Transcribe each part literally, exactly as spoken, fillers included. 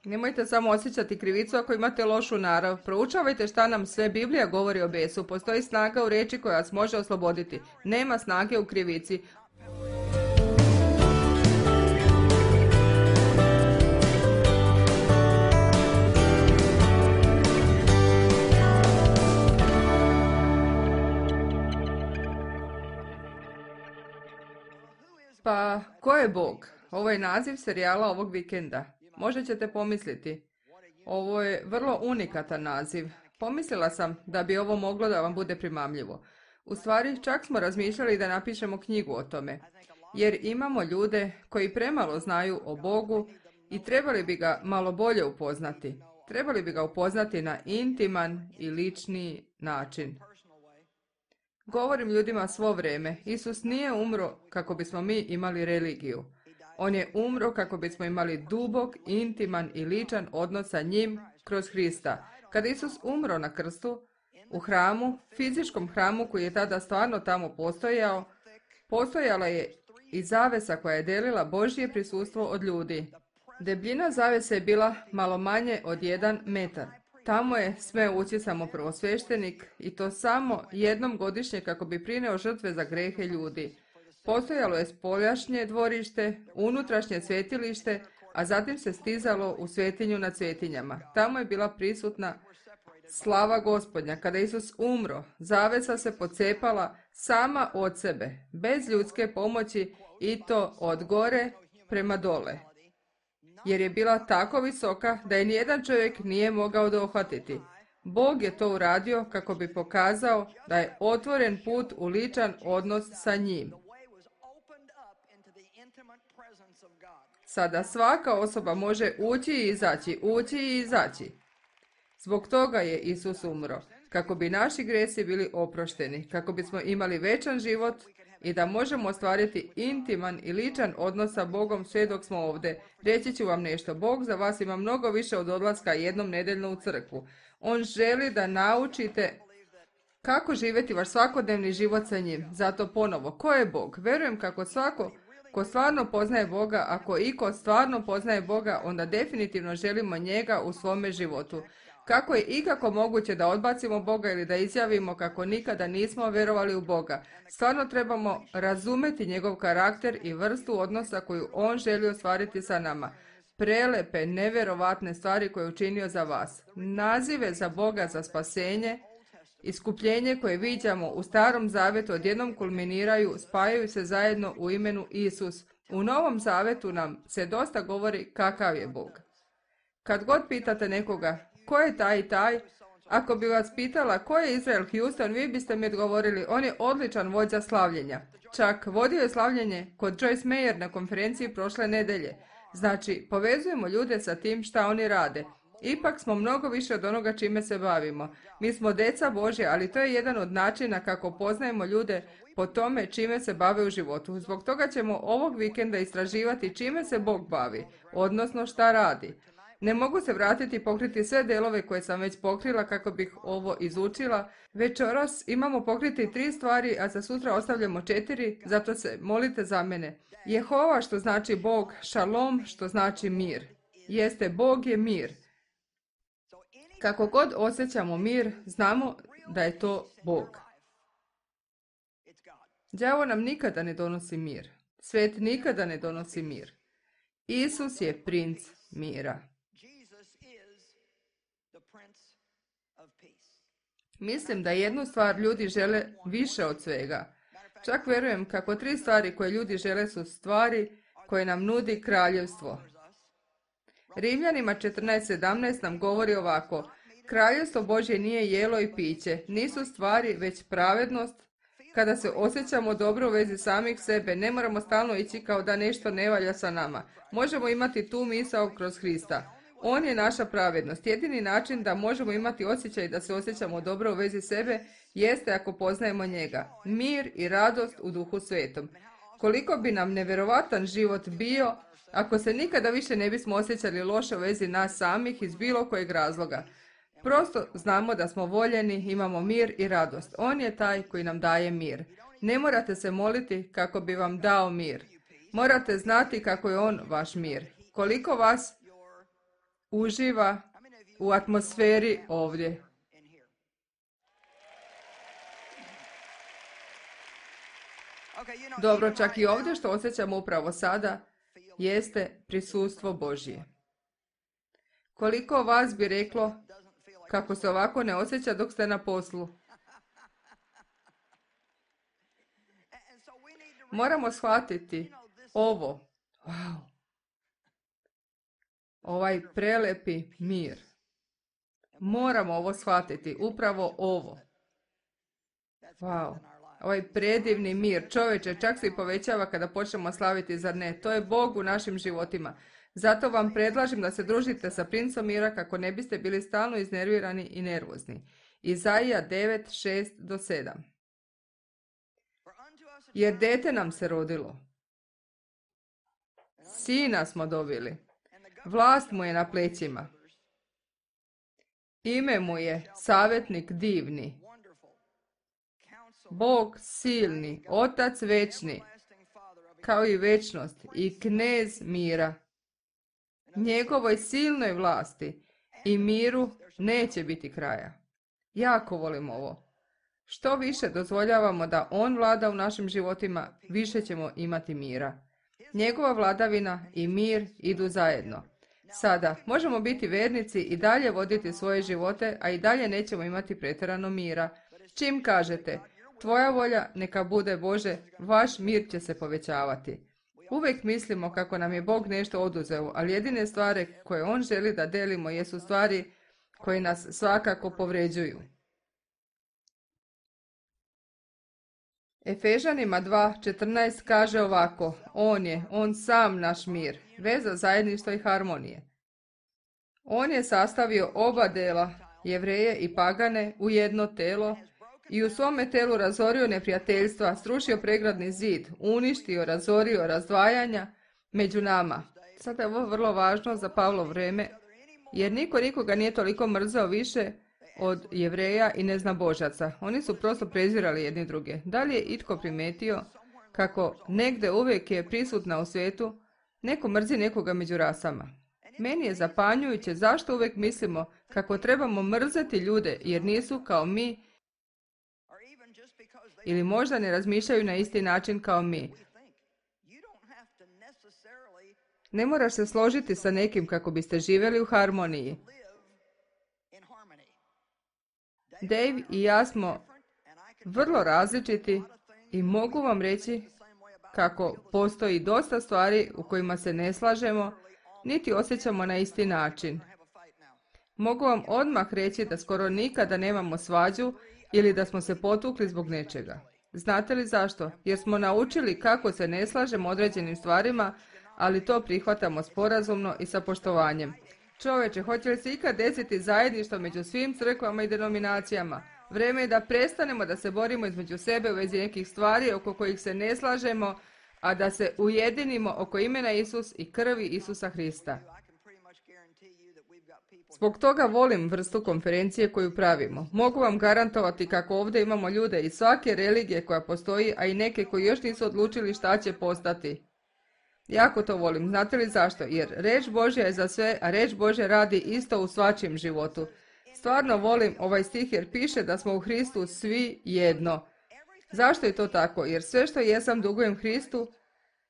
Nemojte samo osjećati krivicu ako imate lošu narav. Proučavajte šta nam sve Biblija govori o besu. Postoji snaga u riječi koja vas može osloboditi. Nema snage u krivici. Pa, ko je Bog? Ovo je naziv serijala ovog vikenda. Možda ćete pomisliti. Ovo je vrlo unikatan naziv. Pomislila sam da bi ovo moglo da vam bude primamljivo. U stvari, čak smo razmišljali da napišemo knjigu o tome. Jer imamo ljude koji premalo znaju o Bogu i trebali bi ga malo bolje upoznati. Trebali bi ga upoznati na intiman i lični način. Govorim ljudima svo vrijeme. Isus nije umro kako bismo mi imali religiju. On je umro kako bismo imali dubok, intiman i ličan odnos sa njim kroz Hrista. Kada Isus umro na krstu, u hramu, fizičkom hramu koji je tada stvarno tamo postojao, postojala je i zavesa koja je delila Božje prisustvo od ljudi. Debljina zavese je bila malo manje od jedan metar. Tamo je sme ući samo prvosveštenik i to samo jednom godišnje kako bi prineo žrtve za grehe ljudi. Postojalo je spoljašnje dvorište, unutrašnje svjetilište, a zatim se stizalo u svetinju na svetinjama. Tamo je bila prisutna slava Gospodnja. Kada Isus umro, zavesa se pocepala sama od sebe, bez ljudske pomoći i to od gore prema dole. Jer je bila tako visoka da je nijedan čovjek nije mogao dohvatiti. Bog je to uradio kako bi pokazao da je otvoren put u ličan odnos sa njim. Sada svaka osoba može ući i izaći, ući i izaći. Zbog toga je Isus umro, kako bi naši gresi bili oprošteni, kako bismo imali večan život i da možemo ostvariti intiman i ličan odnos sa Bogom sve dok smo ovdje. Reći ću vam nešto, Bog za vas ima mnogo više od odlaska jednom nedeljno u crkvu. On želi da naučite kako živjeti vaš svakodnevni život sa njim. Zato ponovo, ko je Bog? Verujem kako svako ko stvarno poznaje Boga, ako iko stvarno poznaje Boga, onda definitivno želimo njega u svome životu. Kako je ikako moguće da odbacimo Boga ili da izjavimo kako nikada nismo vjerovali u Boga? Stvarno trebamo razumeti njegov karakter i vrstu odnosa koju on želi ostvariti sa nama. Prelepe, nevjerovatne stvari koje je učinio za vas. Nazive za Boga za spasenje, iskupljenje koje viđamo u Starom Zavetu odjednom kulminiraju, spajaju se zajedno u imenu Isus. U Novom Zavetu nam se dosta govori kakav je Bog. Kad god pitate nekoga ko je taj i taj, ako bi vas pitala ko je Israel Houston, vi biste mi odgovorili on je odličan vođa slavljenja. Čak vodio je slavljenje kod Joyce Meyer na konferenciji prošle nedelje. Znači, povezujemo ljude sa tim šta oni rade. Ipak smo mnogo više od onoga čime se bavimo. Mi smo deca Božje, ali to je jedan od načina kako poznajemo ljude po tome čime se bave u životu. Zbog toga ćemo ovog vikenda istraživati čime se Bog bavi, odnosno šta radi. Ne mogu se vratiti i pokriti sve delove koje sam već pokrila kako bih ovo izučila. Večeras imamo pokriti tri stvari, a za sutra ostavljamo četiri, zato se molite za mene. Jehova što znači Bog, šalom što znači mir. Jeste, Bog je mir. Kako god osjećamo mir, znamo da je to Bog. Đavo nam nikada ne donosi mir. Svet nikada ne donosi mir. Isus je princ mira. Mislim da jednu stvar ljudi žele više od svega. Čak vjerujem kako tri stvari koje ljudi žele su stvari koje nam nudi kraljevstvo. Rimljanima četrnaest sedamnaest nam govori ovako: Kraljevstvo Božje nije jelo i piće, nisu stvari već pravednost. Kada se osjećamo dobro u vezi samih sebe, ne moramo stalno ići kao da nešto ne valja sa nama. Možemo imati tu misao kroz Hrista. On je naša pravednost. Jedini način da možemo imati osjećaj da se osjećamo dobro u vezi sebe jeste ako poznajemo njega. Mir i radost u Duhu Svetom. Koliko bi nam nevjerovatan život bio ako se nikada više ne bismo osjećali loše u vezi nas samih iz bilo kojeg razloga. Prosto znamo da smo voljeni, imamo mir i radost. On je taj koji nam daje mir. Ne morate se moliti kako bi vam dao mir. Morate znati kako je on vaš mir. Koliko vas uživa u atmosferi ovdje? Dobro, čak i ovdje što osjećamo upravo sada jeste prisustvo Božje. Koliko vas bi reklo kako se ovako ne osjeća dok ste na poslu? Moramo shvatiti ovo. Wow. Ovaj prelepi mir. Moramo ovo shvatiti. Upravo ovo. Wow. Ovaj predivni mir. Čovječe, čak se i povećava kada počnemo slaviti, zar ne? To je Bog u našim životima. Zato vam predlažem da se družite sa princom mira kako ne biste bili stalno iznervirani i nervozni. Izaija devet, šest do sedam. Jer dete nam se rodilo. Sina smo dobili. Vlast mu je na plećima. Ime mu je savjetnik divni. Bog silni, Otac večni, kao i večnost i knez mira. Njegovoj silnoj vlasti i miru neće biti kraja. Jako volim ovo. Što više dozvoljavamo da on vlada u našim životima, više ćemo imati mira. Njegova vladavina i mir idu zajedno. Sada, možemo biti vernici i dalje voditi svoje živote, a i dalje nećemo imati pretjerano mira. Čim kažete, tvoja volja neka bude Bože, vaš mir će se povećavati. Uvijek mislimo kako nam je Bog nešto oduzeo, ali jedine stvari koje on želi da delimo jesu stvari koje nas svakako povređuju. Efežanima dva četrnaest kaže ovako, on je, on sam naš mir, veza zajedništva i harmonije. On je sastavio oba dela, Jevreje i pagane, u jedno telo i u svome telu razorio neprijateljstva, srušio pregradni zid, uništio, razorio razdvajanja među nama. Sada je ovo vrlo važno za Pavlo vrijeme, jer niko nikoga nije toliko mrzao više od Jevreja i neznabožaca. Oni su prosto prezirali jedni druge. Da li je itko primetio kako negde uvijek je prisutna u svijetu, neko mrzi nekoga među rasama? Meni je zapanjujuće zašto uvijek mislimo kako trebamo mrzeti ljude jer nisu kao mi ili možda ne razmišljaju na isti način kao mi. Ne moraš se složiti sa nekim kako biste živjeli u harmoniji. Dave i ja smo vrlo različiti i mogu vam reći kako postoji dosta stvari u kojima se ne slažemo, niti osjećamo na isti način. Mogu vam odmah reći da skoro nikada nemamo svađu ili da smo se potukli zbog nečega. Znate li zašto? Jer smo naučili kako se ne slažemo određenim stvarima, ali to prihvatamo sporazumno i sa poštovanjem. Čoveče, hoće li se ikad desiti zajedništvo među svim crkvama i denominacijama? Vrijeme je da prestanemo da se borimo između sebe u vezi nekih stvari oko kojih se ne slažemo, a da se ujedinimo oko imena Isus i krvi Isusa Hrista. Zbog toga volim vrstu konferencije koju pravimo. Mogu vam garantovati kako ovdje imamo ljude iz svake religije koja postoji, a i neke koji još nisu odlučili šta će postati. Jako to volim. Znate li zašto? Jer reč Božja je za sve, a reč Božja radi isto u svačijem životu. Stvarno volim ovaj stih jer piše da smo u Hristu svi jedno. Zašto je to tako? Jer sve što jesam dugujem Hristu,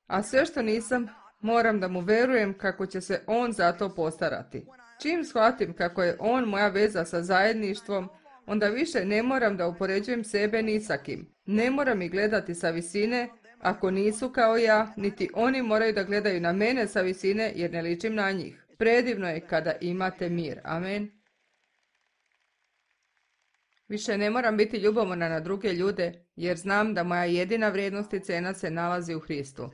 a sve što nisam moram da mu verujem kako će se on za to postarati. Čim shvatim kako je on moja veza sa zajedništvom, onda više ne moram da upoređujem sebe ni sa kim. Ne moram ih gledati sa visine, ako nisu kao ja, niti oni moraju da gledaju na mene sa visine jer ne ličim na njih. Predivno je kada imate mir. Amen. Više ne moram biti ljubomorna na druge ljude jer znam da moja jedina vrijednost i cena se nalazi u Hristu.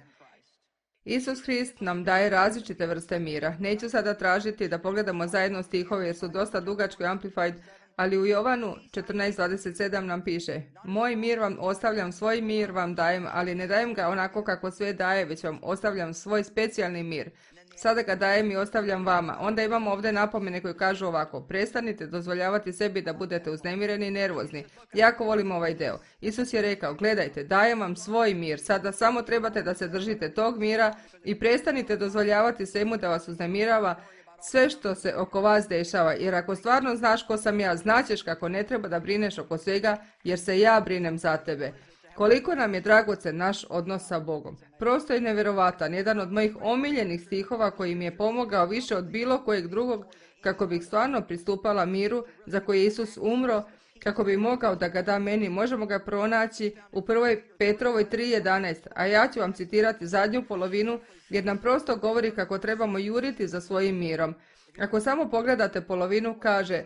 Isus Hrist nam daje različite vrste mira. Neću sada tražiti da pogledamo zajedno stihove jer su dosta dugačko i amplified, ali u Jovanu četrnaest dvadeset sedam nam piše: Moj mir vam ostavljam, svoj mir vam dajem, ali ne dajem ga onako kako sve daje, već vam ostavljam svoj specijalni mir. Sada ga dajem i ostavljam vama. Onda imamo ovdje napomene koje kažu ovako: prestanite dozvoljavati sebi da budete uznemireni i nervozni. Jako volim ovaj deo. Isus je rekao: gledajte, dajem vam svoj mir. Sada samo trebate da se držite tog mira i prestanite dozvoljavati svemu da vas uznemirava, sve što se oko vas dešava, jer ako stvarno znaš ko sam ja, znaćeš kako ne treba da brineš oko svega, jer se ja brinem za tebe. Koliko nam je dragocen naš odnos sa Bogom. Prosto je nevjerovatan, jedan od mojih omiljenih stihova koji mi je pomogao više od bilo kojeg drugog kako bih stvarno pristupala miru za koji je Isus umro, kako bi mogao da ga da meni. Možemo ga pronaći u prvoj Petrovoj tri jedanaest, a ja ću vam citirati zadnju polovinu jer nam prosto govori kako trebamo juriti za svojim mirom. Ako samo pogledate polovinu, kaže,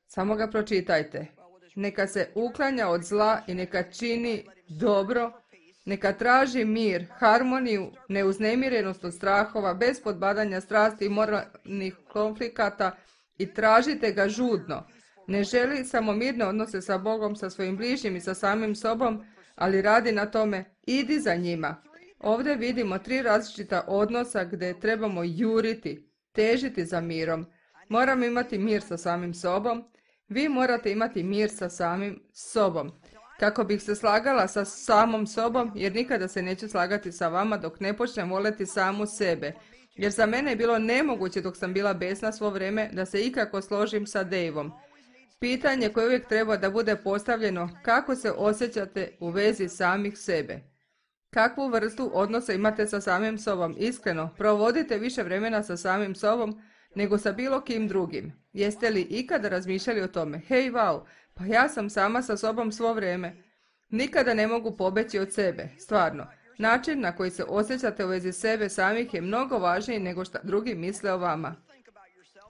samo ga pročitajte. Neka se uklanja od zla i neka čini dobro, neka traži mir, harmoniju, neuznemirenost od strahova, bez podbadanja strasti i moralnih konflikata i tražite ga žudno. Ne želi samo mirne odnose sa Bogom, sa svojim bližnjim i sa samim sobom, ali radi na tome, idi za njima. Ovdje vidimo tri različita odnosa gdje trebamo juriti, težiti za mirom. Moramo imati mir sa samim sobom. Vi morate imati mir sa samim sobom. Kako bih se slagala sa samom sobom, jer nikada se neću slagati sa vama dok ne počnem voljeti samu sebe. Jer za mene je bilo nemoguće dok sam bila besna svo vrijeme da se ikako složim sa Daveom. Pitanje koje uvijek treba da bude postavljeno, kako se osjećate u vezi samih sebe? Kakvu vrstu odnosa imate sa samim sobom? Iskreno, provodite više vremena sa samim sobom nego sa bilo kim drugim. Jeste li ikada razmišljali o tome? Hej, wow, pa ja sam sama sa sobom svo vrijeme. Nikada ne mogu pobeći od sebe, stvarno. Način na koji se osjećate u vezi sebe samih je mnogo važniji nego šta drugi misle o vama.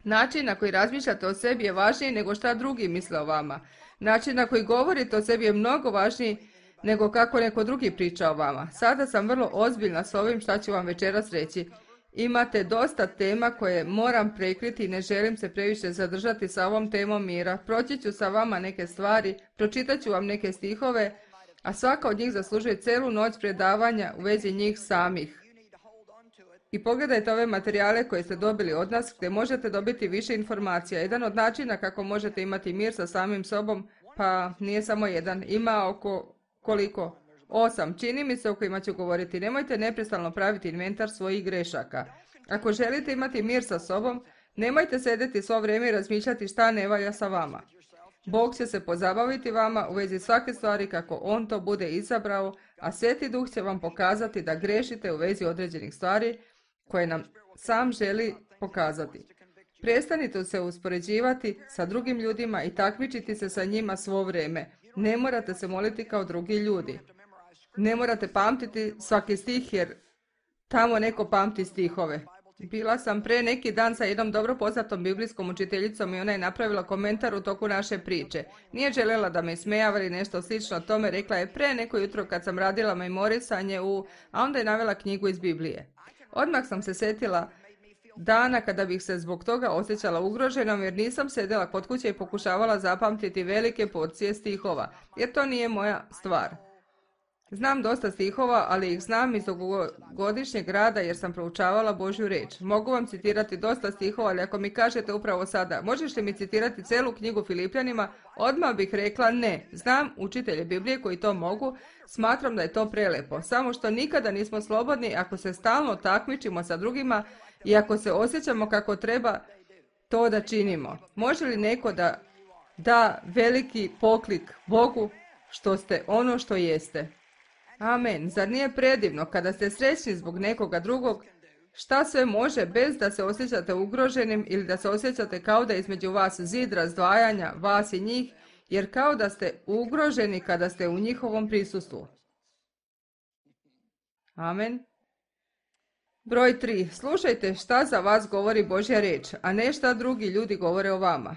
Način na koji razmišljate o sebi je važniji nego šta drugi misle o vama. Način na koji govorite o sebi je mnogo važniji nego kako neko drugi priča o vama. Sada sam vrlo ozbiljna s ovim šta ću vam večeras reći. Imate dosta tema koje moram prekriti i ne želim se previše zadržati sa ovom temom mira. Proći ću sa vama neke stvari, pročitat ću vam neke stihove, a svaka od njih zaslužuje celu noć predavanja u vezi njih samih. I pogledajte ove materijale koje ste dobili od nas gdje možete dobiti više informacija. Jedan od načina kako možete imati mir sa samim sobom, pa nije samo jedan, ima oko koliko? Osam, čini mi se o kojima ću govoriti. Nemojte neprestano praviti inventar svojih grešaka. Ako želite imati mir sa sobom, nemojte sedeti svo vrijeme i razmišljati šta ne valja sa vama. Bog će se pozabaviti vama u vezi svake stvari kako On to bude izabrao, a Sveti Duh će vam pokazati da grešite u vezi određenih stvari koje nam sam želi pokazati. Prestanite se uspoređivati sa drugim ljudima i takmičiti se sa njima svo vrijeme. Ne morate se moliti kao drugi ljudi. Ne morate pamtiti svaki stih jer tamo neko pamti stihove. Bila sam pre neki dan sa jednom dobro poznatom biblijskom učiteljicom i ona je napravila komentar u toku naše priče. Nije željela da me ismejava ili nešto slično tome, rekla je pre neko jutro kad sam radila memorisanje u, a onda je navela knjigu iz Biblije. Odmah sam se setila dana kada bih se zbog toga osjećala ugroženom jer nisam sedela kod kuće i pokušavala zapamtiti velike porcije stihova, jer to nije moja stvar. Znam dosta stihova, ali ih znam iz dugogodišnjeg rada jer sam proučavala Božju reč. Mogu vam citirati dosta stihova, ali ako mi kažete upravo sada, možeš li mi citirati celu knjigu Filipljanima, odmah bih rekla ne. Znam učitelje Biblije koji to mogu, smatram da je to prelepo. Samo što nikada nismo slobodni ako se stalno takmičimo sa drugima i ako se osjećamo kako treba to da činimo. Može li neko da da veliki poklik Bogu što ste ono što jeste? Amen. Zar nije predivno kada ste srećni zbog nekoga drugog? Šta sve može bez da se osjećate ugroženim ili da se osjećate kao da je između vas zid razdvajanja, vas i njih, jer kao da ste ugroženi kada ste u njihovom prisustvu. Amen. Broj tri. Slušajte šta za vas govori Božja reč, a ne šta drugi ljudi govore o vama.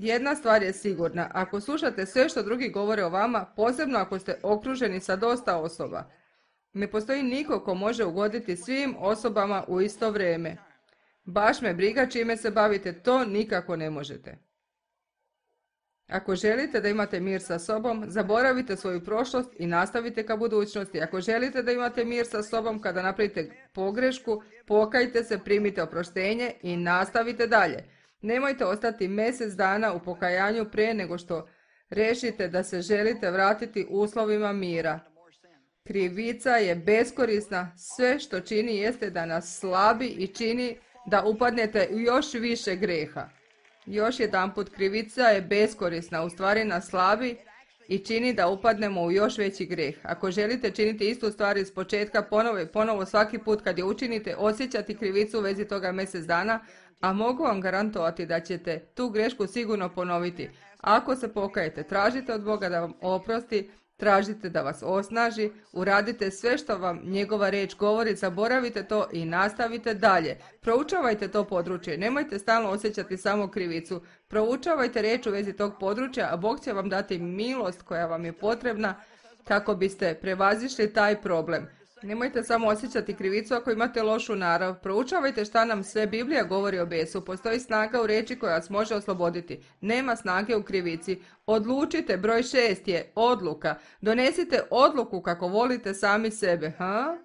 Jedna stvar je sigurna, ako slušate sve što drugi govore o vama, posebno ako ste okruženi sa dosta osoba, ne postoji niko ko može ugoditi svim osobama u isto vrijeme. Baš me briga čime se bavite, to nikako ne možete. Ako želite da imate mir sa sobom, zaboravite svoju prošlost i nastavite ka budućnosti. Ako želite da imate mir sa sobom kada napravite pogrešku, pokajte se, primite oproštenje i nastavite dalje. Nemojte ostati mjesec dana u pokajanju prije nego što rešite da se želite vratiti uslovima mira. Krivica je beskorisna, sve što čini jeste da nas slabi i čini da upadnete u još više greha. Još jedanput, krivica je beskorisna, u stvari nas slabi i čini da upadnemo u još veći greh. Ako želite činiti istu stvar iz početka, ponovo i ponovo svaki put kad je učinite, osjećati krivicu u vezi toga mjesec dana, a mogu vam garantovati da ćete tu grešku sigurno ponoviti. Ako se pokajete, tražite od Boga da vam oprosti, tražite da vas osnaži, uradite sve što vam njegova riječ govori, zaboravite to i nastavite dalje. Proučavajte to područje, nemojte stalno osjećati samo krivicu. Proučavajte riječ u vezi tog područja, a Bog će vam dati milost koja vam je potrebna kako biste prevazišli taj problem. Nemojte samo osjećati krivicu ako imate lošu narav. Proučavajte šta nam sve Biblija govori o besu. Postoji snaga u riječi koja vas može osloboditi. Nema snage u krivici. Odlučite, broj šest je odluka. Donesite odluku kako volite sami sebe. Ha?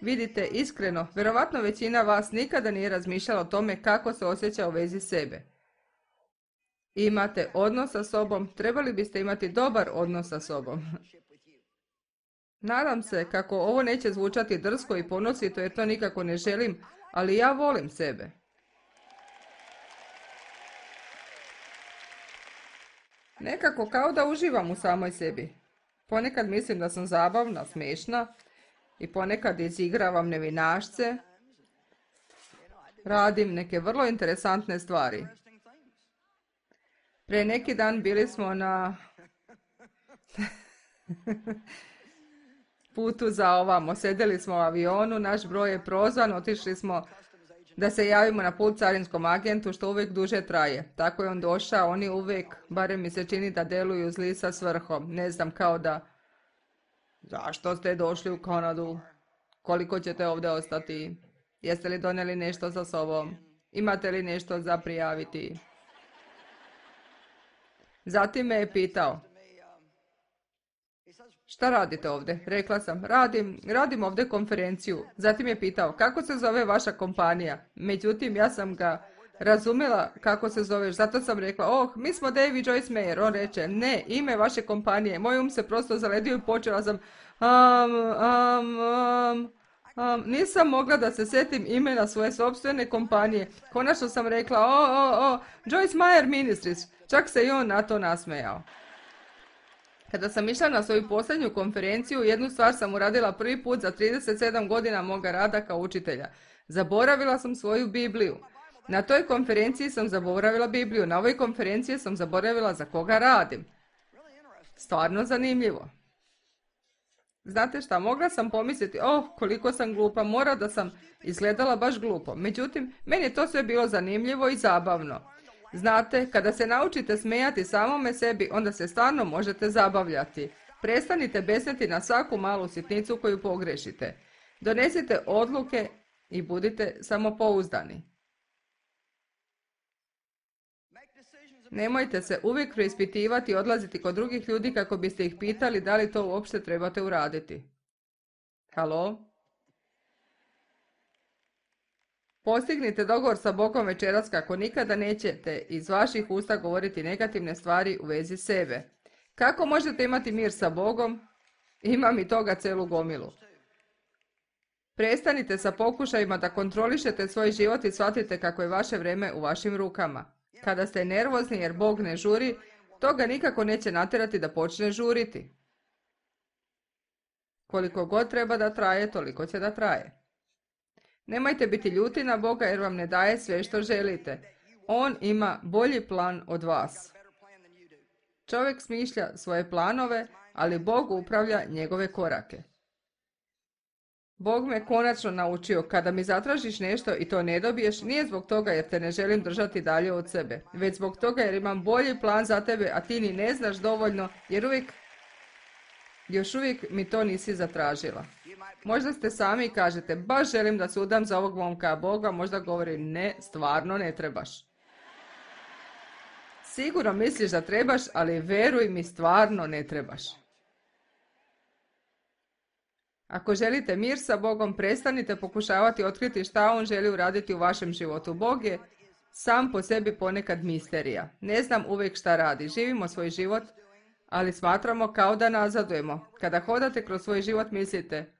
Vidite, iskreno, vjerovatno većina vas nikada nije razmišljala o tome kako se osjeća u vezi sebe. Imate odnos sa sobom, trebali biste imati dobar odnos sa sobom. Nadam se kako ovo neće zvučati drsko i ponosito jer to nikako ne želim, ali ja volim sebe. Nekako kao da uživam u samoj sebi. Ponekad mislim da sam zabavna, smešna i ponekad izigravam nevinašce. Radim neke vrlo interesantne stvari. Pre neki dan bili smo na putu za ovamo. Sedeli smo u avionu, naš broj je prozvan, otišli smo da se javimo na put carinskom agentu, što uvijek duže traje. Tako je on došao, oni uvijek, barem mi se čini da deluju zli sa svrhom. Ne znam, kao da, zašto ste došli u Kanadu? Koliko ćete ovdje ostati? Jeste li donijeli nešto sa sobom? Imate li nešto za prijaviti? Zatim me je pitao, šta radite ovdje? Rekla sam, radim, radim ovdje konferenciju. Zatim je pitao, kako se zove vaša kompanija? Međutim, ja sam ga razumjela kako se zoveš, zato sam rekla, oh, mi smo David Joyce Meyer. On reče, ne, ime vaše kompanije. Moj um se prosto zaledio i počela sam, um, um, um, um, nisam mogla da se sjetim imena svoje sopstvene kompanije. Konačno sam rekla, o, o, o, Joyce Meyer Ministries. Čak se i on na to nasmejao. Kada sam išla na svoju posljednju konferenciju, jednu stvar sam uradila prvi put za trideset sedam godina moga rada kao učitelja. Zaboravila sam svoju Bibliju. Na toj konferenciji sam zaboravila Bibliju, na ovoj konferenciji sam zaboravila za koga radim. Stvarno zanimljivo. Znate šta, mogla sam pomisliti, oh, koliko sam glupa, mora da sam izgledala baš glupo. Međutim, meni je to sve bilo zanimljivo i zabavno. Znate, kada se naučite smejati samome sebi, onda se stvarno možete zabavljati. Prestanite besneti na svaku malu sitnicu koju pogrešite. Donesite odluke i budite samopouzdani. Nemojte se uvijek preispitivati i odlaziti kod drugih ljudi kako biste ih pitali da li to uopšte trebate uraditi. Halo? Postignite dogovor sa Bogom večeras kako nikada nećete iz vaših usta govoriti negativne stvari u vezi sebe. Kako možete imati mir sa Bogom? Imam i toga celu gomilu. Prestanite sa pokušajima da kontrolišete svoj život i shvatite kako je vaše vrijeme u vašim rukama. Kada ste nervozni jer Bog ne žuri, to ga nikako neće natjerati da počne žuriti. Koliko god treba da traje, toliko će da traje. Nemojte biti ljuti na Boga jer vam ne daje sve što želite. On ima bolji plan od vas. Čovjek smišlja svoje planove, ali Bog upravlja njegove korake. Bog me konačno naučio, kada mi zatražiš nešto i to ne dobiješ, nije zbog toga jer te ne želim držati dalje od sebe, već zbog toga jer imam bolji plan za tebe, a ti ni ne znaš dovoljno, jer uvijek, još uvijek mi to nisi zatražila. Možda ste sami i kažete, baš želim da se udam za ovog momka, a Boga možda govori, ne, stvarno ne trebaš. Sigurno misliš da trebaš, ali veruj mi, stvarno ne trebaš. Ako želite mir sa Bogom, prestanite pokušavati otkriti šta On želi uraditi u vašem životu. Bog je sam po sebi ponekad misterija. Ne znam uvijek šta radi. Živimo svoj život, ali smatramo kao da nazadujemo. Kada hodate kroz svoj život, mislite,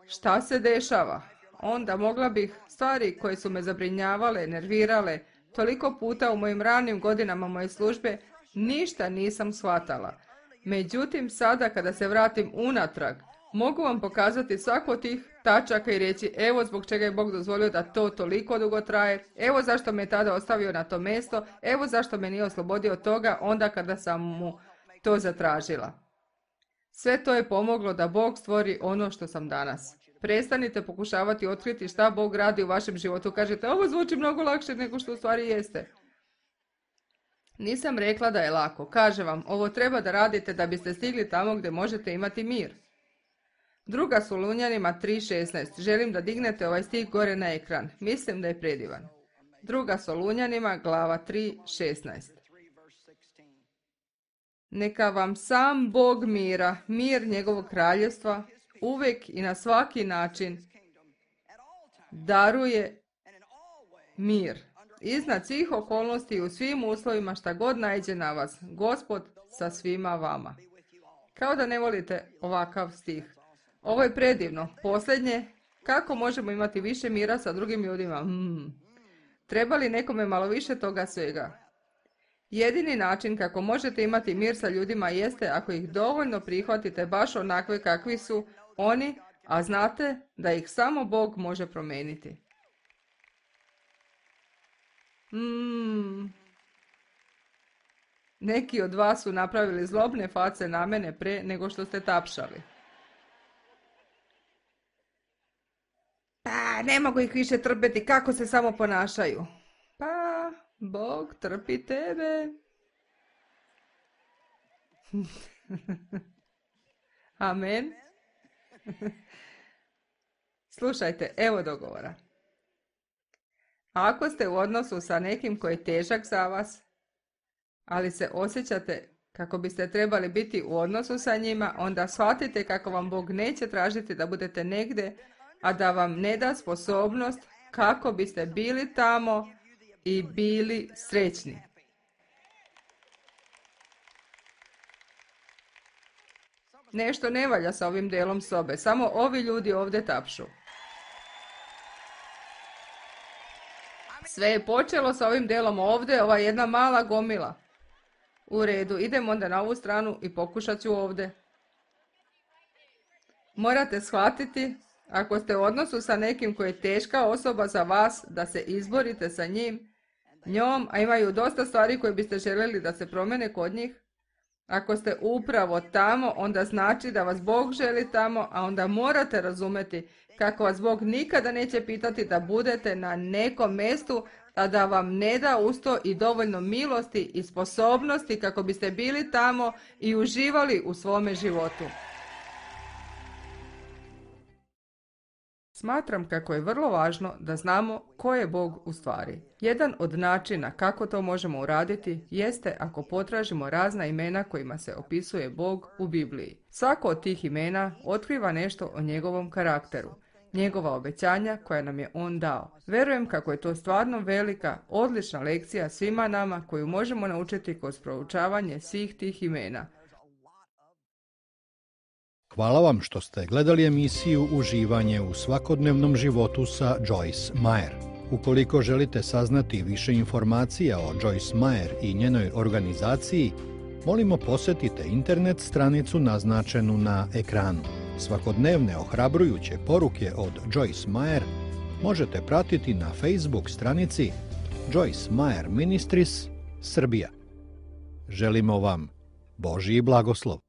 šta se dešava? onda mogla bih stvari koje su me zabrinjavale, nervirale, toliko puta u mojim ranim godinama moje službe, ništa nisam shvatala. Međutim, sada kada se vratim unatrag, mogu vam pokazati svako od tih tačaka i reći evo zbog čega je Bog dozvolio da to toliko dugo traje, evo zašto me tada ostavio na to mjesto, evo zašto me nije oslobodio od toga onda kada sam mu to zatražila. Sve to je pomoglo da Bog stvori ono što sam danas. Prestanite pokušavati otkriti šta Bog radi u vašem životu. Kažete, ovo zvuči mnogo lakše nego što u stvari jeste. Nisam rekla da je lako. Kažem vam, ovo treba da radite da biste stigli tamo gdje možete imati mir. Druga Solunjanima tri šesnaest. Želim da dignete ovaj stih gore na ekran. Mislim da je predivan. Druga Solunjanima, glava tri šesnaest. Neka vam sam Bog mira, mir njegovog kraljevstva, uvijek i na svaki način daruje mir. Iznad svih okolnosti i u svim uslovima šta god naiđe na vas, Gospod sa svima vama. Kao da ne volite ovakav stih. Ovo je predivno. Posljednje, kako možemo imati više mira sa drugim ljudima? Hmm. Treba li nekome malo više toga svega? Jedini način kako možete imati mir sa ljudima jeste ako ih dovoljno prihvatite baš onakve kakvi su oni, a znate da ih samo Bog može promijeniti. Hmm. Neki od vas su napravili zlobne face na mene pre nego što ste tapšali. Pa, ne mogu ih više trpeti, kako se samo ponašaju. Pa, Bog trpi tebe. Amen. Slušajte, evo dogovora. Ako ste u odnosu sa nekim koji je težak za vas, ali se osjećate kako biste trebali biti u odnosu sa njima, onda shvatite kako vam Bog neće tražiti da budete negdje, a da vam ne da sposobnost kako biste bili tamo i bili srećni. Nešto ne valja sa ovim delom sobe, samo ovi ljudi ovdje tapšu. Sve je počelo sa ovim delom ovdje, ova jedna mala gomila. U redu, idem onda na ovu stranu i pokušat ću ovdje. Morate shvatiti, ako ste u odnosu sa nekim koji je teška osoba za vas, da se izborite sa njim, njom, a imaju dosta stvari koje biste željeli da se promene kod njih. Ako ste upravo tamo, onda znači da vas Bog želi tamo, a onda morate razumjeti kako vas Bog nikada neće pitati da budete na nekom mjestu, a da vam ne da usto i dovoljno milosti i sposobnosti kako biste bili tamo i uživali u svome životu. Smatram kako je vrlo važno da znamo ko je Bog u stvari. Jedan od načina kako to možemo uraditi jeste ako potražimo razna imena kojima se opisuje Bog u Bibliji. Svako od tih imena otkriva nešto o njegovom karakteru, njegova obećanja koja nam je on dao. Verujem kako je to stvarno velika, odlična lekcija svima nama koju možemo naučiti kroz proučavanje svih tih imena. Hvala vam što ste gledali emisiju Uživanje u svakodnevnom životu sa Joyce Meyer. Ukoliko želite saznati više informacija o Joyce Meyer i njenoj organizaciji, molimo posjetite internet stranicu naznačenu na ekranu. Svakodnevne ohrabrujuće poruke od Joyce Meyer možete pratiti na Facebook stranici Joyce Meyer Ministries Srbija. Želimo vam Božji blagoslov.